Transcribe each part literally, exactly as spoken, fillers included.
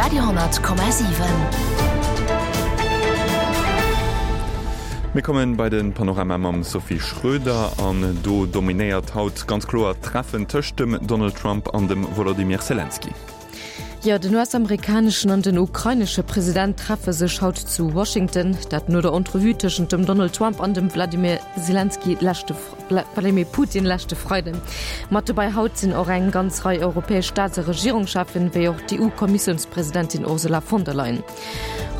Radio honnert Komma siwen. Mir kommen bei den Panorama mam Sophie Schröder an do dominéiert haut ganz kloer d'Treffen tëscht dem Donald Trump an dem Wolodymyr Selenskyj. Jo, den U S-amerikaneschen an den ukrainesche President treffe sech haut zu Washington, dat no der Entrevue tëschent dem Donald Trump an dem Wladimir Selenskyj leschte Wladimir Putin leschte Freiden. Mat dobäi haut sinn och eng ganz Rei europäesch Staats a Regierungscheffen, wéi och d'E U-Kommissiounspresidentin Ursula von der Leyen.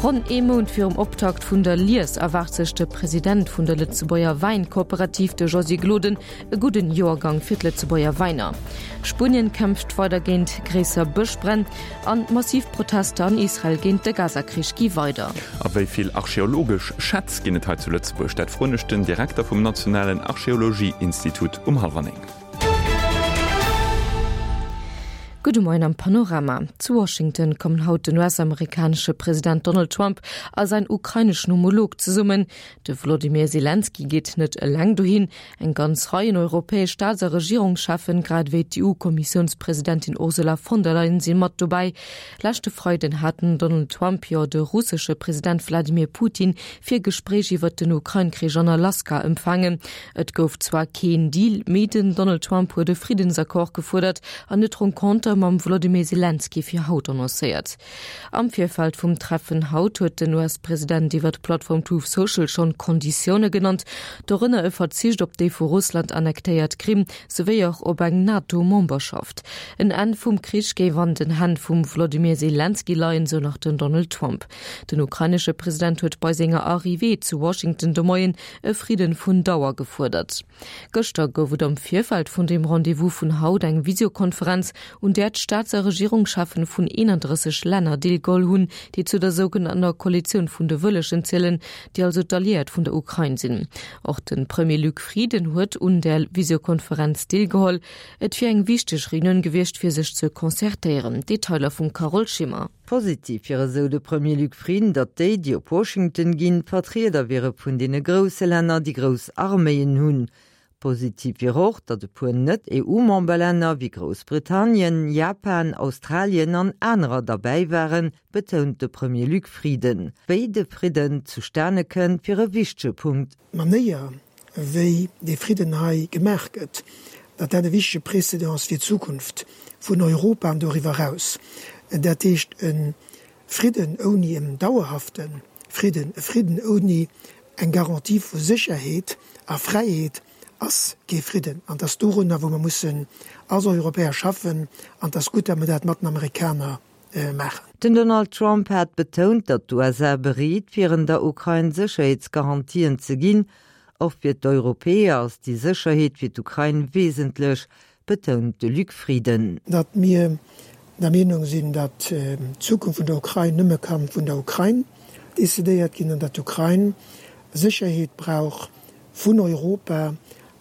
Ronn ee Mount virum Optakt vun der Lies erwaart sech de President vun der Lëtzebuerger Wäinkooperativ, de Josy Gloden, e gudden Joergang fir d'Lëtzebuerger Wäiner. Spuenien kämpft weider géint gréisser Bëschbränn an massiv Protester an Israel géint de Gazakrich gi weider. A wéi vill archeologesch Schätz ginn et hei zu Lëtzebuerg? Dat froen ech den Direkter vum Nationalen Archeologieinstitut um hallwer néng. Gudde Moien am Panorama. Zu Washington kommen haut den U S-amerikanesche President Donald Trump a säin ukraineschen Homolog zesummen. De Wolodymyr Selenskyj geet net eleng dohin. Eng ganz Rei europäesch Staats a Regierungscheffen, grad ewéi d'E U-Kommissiounspresidentin Ursula von der Leyen si mat dobäi. Leschte Freiden hat den Donald Trump jo de russesche President Wladimir Putin fir Gespréich iwwer den Ukrain-Krich an Alaska empfaangen. Et gouf zwar keen Deal, mee den Donald Trump huet e Friddensaccord gefuerdert an huet d'Renconter mam Wolodymyr Selenskyj fir haut annoncéiert. Am Virfeld vum Treffen haut huet den U S-President iwwer d'Plattform Truth Social schonn Konditioune genannt, dorënner e Verzicht op déi vu Russland annektéiert Krim, souwéi och op eng NATO-Memberschaft. En Enn vum Krich géif an den Hänn vum Wolodymyr Selenskyj leien, sou nach den Donald Trump. Den ukrainesche President huet bei senger Arrivée zu Washington de Moien e Fridden vun Dauer gefuerdert. Gëschter gouf et am Virfeld vun dem Rendez-vous vun haut eng Videokonferenz, un där d'Staats a Regierungscheffen vun eenandrësseg Länner deelgeholl hunn, déi zu der sougenannter Koalitioun vun de Wëllegen zielen, déi also d'Alliéiert vun der Ukrain sinn. Och de Premier Luc Frieden huet un der Videokonferenz deelgeholl. Et wier eng wichteg Reunioun gewiescht fir sech ze concertéieren. Detailer vum Carole Schimmer. Positiv wier, esou de Premier Luc Frieden, datt déi, déi op Washington ginn, Vertrieder wiere vun deene grousse Länner, déi grouss Arméien hunn. Positiv wier och, datt e puer net E U-Memberlänner wéi Groussbritannien, Japan, Australien an anerer derbäi waren, betount de Premier Luc Frieden. Wéi de Fridden zustane kënnt, wier e wichtege Punkt. D'Manéier, wéi de Fridden hei gemaach gëtt, datt dat e wichtege Précédent fir d'Zukunft vun Europa an doriwwer eraus. Dat heescht e Fridden ouni en dauerhafte Fridden, e Fridden ouni eng Garantie vu Sécherheet a Fräiheet ass kee Fridden. An dat ass dorunner, wou mer mussen als Europäer schaffen, an dat ass gutt, datt mer dat mat den Amerikaner maachen. Den Donald Trump hat betount, datt d'U S A bereet wieren, der Ukrain Sécherheetsgarantien ze ginn. Och fir d'Europäer ass déi Sécherheet fir d'Ukrain wesentlech, betount de Luc Frieden. Datt mir der Meenung sinn, datt d'Zukunft vun der Ukrain nëmme ka vun der Ukrain decidéiert ginn an datt d'Ukrain Sécherheet brauch vun Europa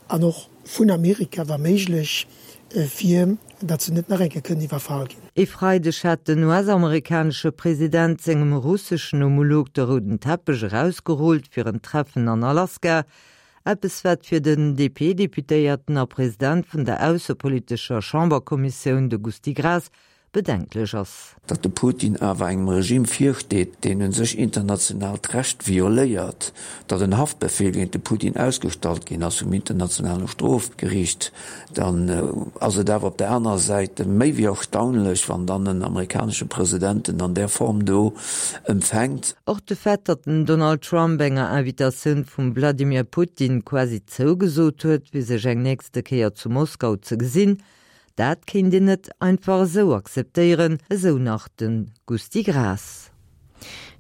an och vun Amerika wa méiglech, fir datt se net nach eng Kéier kënnen iwwerfall ginn. E Freideg hat den U S-amerikanesche President sengem russeschen Homolog de rouden Teppech erausgerullt fir en Treffen an Alaska. Eppes wat fir den D P-Deputéierten a President vun der aussepolitescher Chamberkommissioun, de Gusty Graas, bedenklech ass. Datt de Putin awer engem Regime virsteet, deen u sech internationaalt Recht violéiert, datt en Haftbefehl géint de Putin ausgestallt ginn ass vum internationale Strofgeriicht, dann ass et awer op der anerer Säit méi wéi erstaunlech, wann dann en amerikanesche President en an där Form do empfänkt. Och de Fait, datt den Donald Trump enger Invitatioun vum Wladimir Putin quasi zougesot huet, fir sech eng nächste Kéier zu Moskau ze gesinn, dat kéint een net einfach esou akzeptéieren, esou nach de Gusty Graas.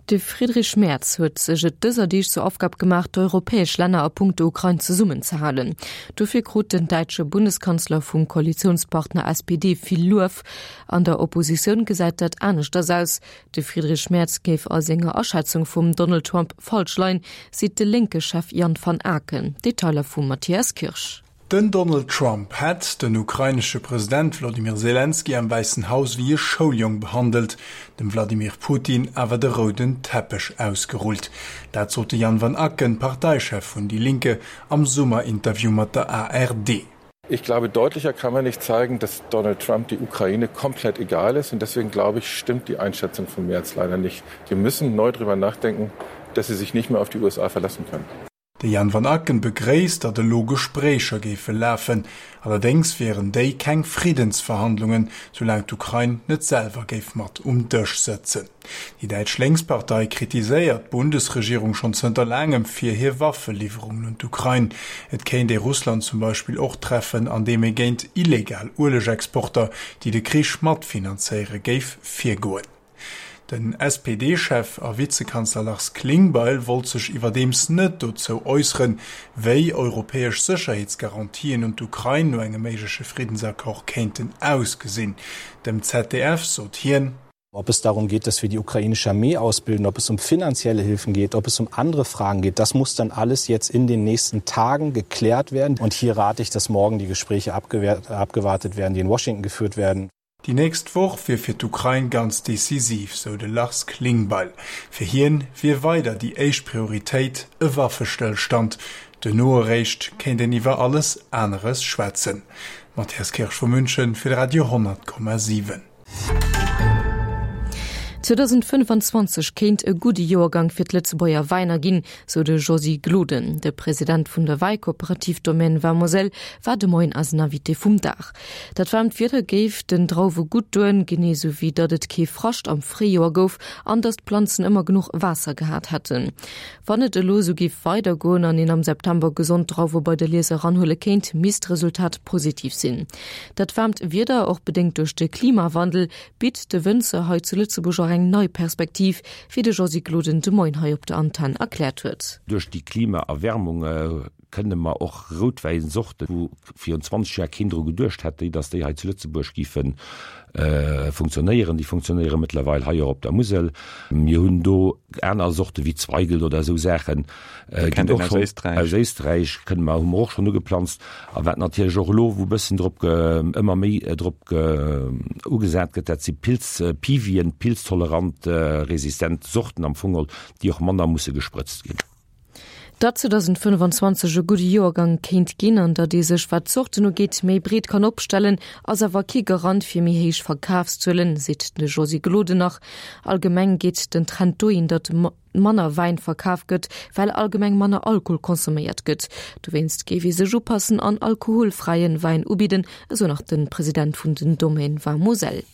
De Friedrich Merz huet sech et dëser Deeg zur Aufgab gemaach, d'europäesch Länner a punkto Ukrain zesummenzehalen. Dofir krut den däitsche Bundeskanzler vum Koalitiounspartner S P D vill Luef. An der Oppositioun gesäit dat aneschters aus. De Friedrich Merz géif a senger Aschätzung vum Donald Trump falsch leien, seet de Lénke-Chef Jan van Aken. Detailer vum Matthias Kirsch. Den Donald Trump hätt den ukrainesche President Wladimir Selenskyj am Wäissen Haus wéi e Schouljong behandelt, dem Wladimir Putin awer de rouden Teppech ausgerullt. Dat sot de Jan van Aken, Parteichef vun Die Linke, am Summerinterview mat der A R D. Ich glaube, deutlicher kann man nicht zeigen, dass Donald Trump die Ukraine komplett egal ist. Und deswegen glaube ich, stimmt die Einschätzung von Merz leider nicht. Die müssen neu darüber nachdenken, dass sie sich nicht mehr auf die U S A verlassen können. De Jan van Aken begréisst, datt elo Gespréicher géife lafen. Allerdéngs wieren déi keng Friddensverhandlungen, soulaang d'Ukrain net selwer géif mat um Dësch sëtzen. Déi däitsch Lénkspartei kritiséiert d'Bundesregierung schonn zënter laangem fir hir Waffeliwwerungen un d'Ukrain. Et kéint ee Russland zum Beispill och treffen, andeem ee géint illegal Uelegexporter, déi de Krich matfinanzéiere géif, virgoen. Den S P D-Chef a Vizekanzler Lars Klingbeil wollt sech iwwerdeems net dozou äusseren, wéi europäesch Sécherheetsgarantien un d'Ukrain no engem méigleche Friddensaccord kéinten ausgesinn. Dem Z D F sot hien: Ob es darum geht, dass wir die ukrainische Armee ausbilden, ob es um finanzielle Hilfen geht, ob es um andere Fragen geht, das muss dann alles jetzt in den nächsten Tagen geklärt werden. Und hier rate ich, dass morgen die Gespräche abgewer-, abgewartet werden, die in Washington geführt werden. Déi nächst Woch wier fir d'Ukrain ganz decisiv, sou de Lars Klingbeil. Fir hien wier weider déi éischt Prioritéit e Waffestëllstand. Duerno eréischt kéint een iwwer alles aneres schwätzen. Matthias Kirsch vu München fir de Radio honnert Komma siwen. zweitausendfënnefanzwanzeg kéint e gudde Joergang fir d'Lëtzebuerger Wäiner ginn, sou de Josy Gloden. De President vun der Wäikooperativ Domaine Vin Moselle war de Moien als Invité vum Dag. Dat waarmt Wieder géif den Drauwe gutt doen, genee sou wéi datt et kee Frascht am Fréijoer gouf an datt d'Planzen ëmmer genuch Waasser gehat hätten. Wann et elo sou géif weidergoen an een am September gesond Drauwe bei de Lies eranhuele kéint, misst d'Resultat positiv sinn. Dat waarmt Wieder, och bedéngt duerch de Klimawandel, bitt de Wënzer hei zu Lëtzebuerg och eng nei Perspektiv, wéi de Josy Gloden de Moien hei op der Antenn erkläert huet. Duerch déi Klimaerwärmung, äh, kënne mer och Routwäinsorten, wou virun zwanzeg Joer keen dru geduecht hätt, déi, dass déi hei zu Lëtzebuerg géifen, äh, funktionéieren. Déi funktionéiere mëttlerweil hei och op der Musel. Mir hunn do aner Sorte wéi Zweigelt oder sou Saachen, äh, Kennt ginn och een aus schon Éisträich. aus Éisträich kënne mer, hu mer och schon ugeplanzt. A wat natierlech och elo, wou bëssen drop ge-, ëmmer méi, äh, drop ge-, ugesat gëtt, dat si Pilz, äh, Piwien, pilztolerant, äh, resistent Sorten am Fong, déi och manner musse gesprëtzt ginn. Dat zweitausendfënnefanzwanzeg e gudde Joergang kéint ginn, an datt ee sech, wat d'Sorten ugeet, méi breet kann opstellen, ass awer kee Garant fir méi héich Verkafszuelen, seet de Josy Gloden nach. Allgemeng geet den Trend dohin, datt ma-, manner Wäin verkaf gëtt, well allgemeng manner Alkohol konsuméiert gëtt. Dowéinst géif ee sech upassen an alkoholfräien Wäin ubidden, esou nach den President vun den Domaine Vin Moselle.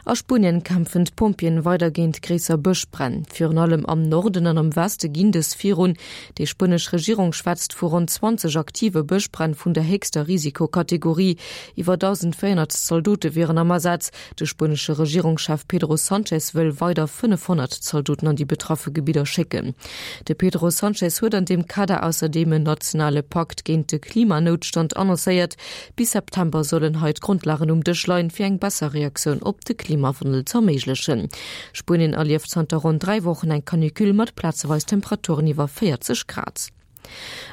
A Spuenien kämpfen d'Pompjeeën weider géint gréisser Bëschbränn. Virun allem am Norden an am Weste ginn dës virun. Déi spuenesch Regierung schwätzt vu ronn zwanzeg aktive Bëschbränn vun der héchster Risikokategorie. Iwwer dausendvéierhonnert Zaldote wieren am Asaz. De spuenesche Regierungschef Pedro Sánchez wëll weider fënnefhonnert Zaldoten an déi betraffe Gebidder schécken. De Pedro Sánchez huet an deem Kader ausserdeem en nationale Pakt géint de Klimanoutstand annoncéiert. Bis September sollen hei d'Grondlagen um Dësch leien, fir eng besser Reaktioun op de Klimawandel ze erméiglechen. Spuenien erlieft zanter ronn dräi Wochen eng Canicule mat plazeweis Temperaturen iwwer véierzeg Grad.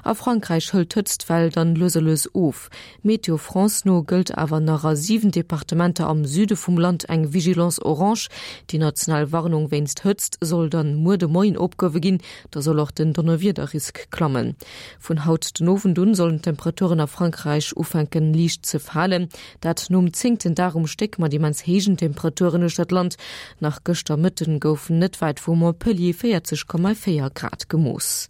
A Frankräich hëlt d'Hëtztwell dann lues a lues of. Meteo France no gëllt awer nach a siwen Departementer am Süde vum Land eng Vigilance orange. Déi national Warnung wéinst Hëtzt soll dann muer de Moien opgehuewe ginn, da soll och den Donnerwiederrisk klammen. Vun haut den Owend un sollen d'Temperaturen a Frankräich ufänken liicht ze falen. Dat nom zéngten Dag um Stéck mat immens héijen Temperaturen uechter d'Land. Nach gëschter Mëtten goufen net wäit vu Montpellier véierzeg Komma véier Grad gemooss.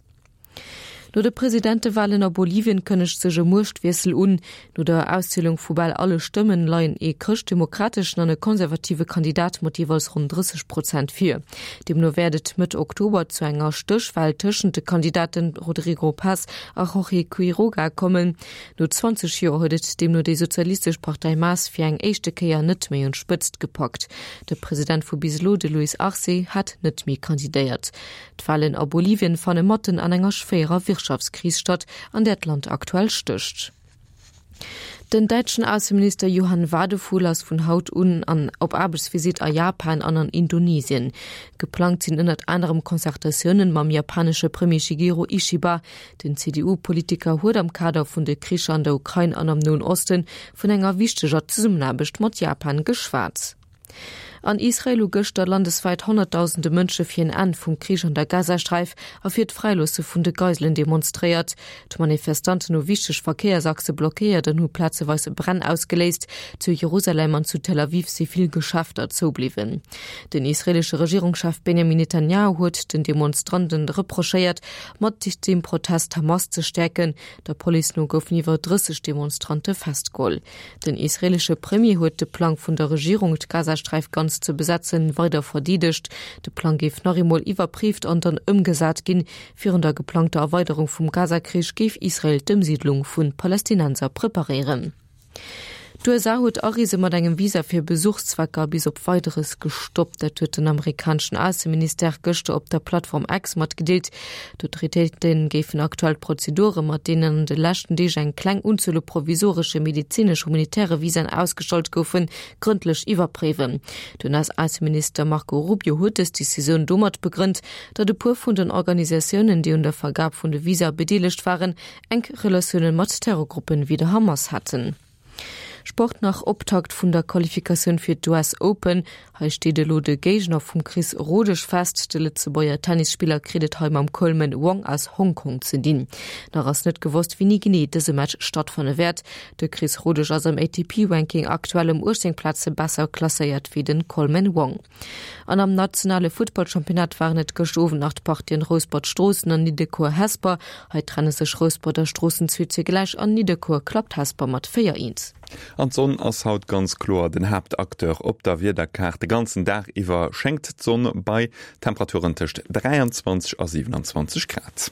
No de Presidentewahlen a Bolivien kënnegt sech e Muechtwiessel un. No der Auszielung vu bal alle Stëmmen leien ee chrëschtdemokrateschen an e konservative Kandidat mat jeeweils ronn drësseg Prozent vir. Deemno wäert et Mëtt Oktober zu enger Stéchwahl tëschent de Kandidaten Rodrigo Paz a Jorge Quiroga kommen. No zwanzeg Joer huet et deemno déi Sozialistesch Partei M A S fir eng éischte Kéier net méi un d'Spëtzt gepackt. De President vu bis elo, de Luis Arce, hat net méi kandidéiert. D'Wahlen a Bolivien fanne matten an enger schwéierer Wirtschaftskris statt, an där d'Land aktuell stécht. Den däitschen Ausseminister Johann Wadephul ass vun haut un an op Aarbechtsvisitt a Japan an an Indonesien. Geplangt sinn ënnert anerem Concertatiounen mam japanesche Premier Shigeru Ishiba. Den C D U-Politiker huet am Kader vun de Kricher an der Ukrain an am Noen Osten vun enger wichteger Zesummenaarbecht mat Japan geschwat. An Israel hu gëschter landeswäit Honnertdausende Mënsche fir en Enn vum Krich an der Gazasträif a fir d'Fräiloosse vun de Geiselen demonstréiert. D'Manifestanten hu wichteg Verkéiersachse blockéiert an hu plazeweis Bränn ausgeléist. Zu Jerusalem an zu Tel Aviv si vill Geschäfter zoubliwwen. Den israeelesche Regierungschef Benjamin Netanjahu huet den Demonstranten reprochéiert, mat deem Protest d'Hamas ze stäerken. Der Police no goufen iwwer drësseg Demonstrante festgeholl. Den israeelesche Premier huet de Plang vun der Regierung, d'Gazasträif ganz ze besetzen, weider verdeedegt. De Plang géif nach eemol iwwerpréift an dann ëmgesat ginn. Virun der geplangter Erweiderung vum Gazakrich géif Israel d'Ëmsiidlung vu Palästinenser preparéieren. D'USA huet Areese mat engem Visa fir Besuchszwecker bis op Weideres gestoppt. Dat huet den amerikaneschen Ausseministère gëschter op der Plattform X matgedeelt. D'Autoritéite géifen aktuell d'Prozedure, mat deenen an de leschten Deeg eng kleng Unzuel u provisoresche medezinesch-humanitäre Visaen ausgestallt goufen, grëndlech iwwerpréiwen. Den US-Ausseminister Marco Rubio huet dës Decisioun domat begrënnt, datt e puer vun den Organisatiounen, déi un der Vergab vun de Visae bedeelegt waren, enk Relatioune mat Terrorgruppen wéi der Hamas haten. Sport nach, Optakt vun der Qualifikatioun fir d'US Open. Hei steet elo de Géigner vum Chris Rodesch fest. De Lëtzebuerger Tennisspiller kritt et hei mam Coleman Wong aus Hongkong ze dinn. Nach ass net gewosst, wéini genee dëse Match stattfanne wäert. De Chris Rodesch ass am A T P-Ranking aktuell ëm uechtzéng Plaze besser klasséiert wéi den Coleman Wong. An am nationale Futtballchampionnat waren et gëscht Owend nach d'Partien Rouspert-Stroossen an Nidderkuer-Hesper. Hei trenne sech Rouspert a Stroossen zwee zu gläich an Nidderkuer klappt Hesper mat véier eent. An d'Sonn ass haut ganz kloer den Haaptacteur op der Wiederkaart. De ganzen Dag iwwer schéngt d'Sonn bei Temperaturen tëscht dräianzwanzeg a siwenanzwanzeg Grad.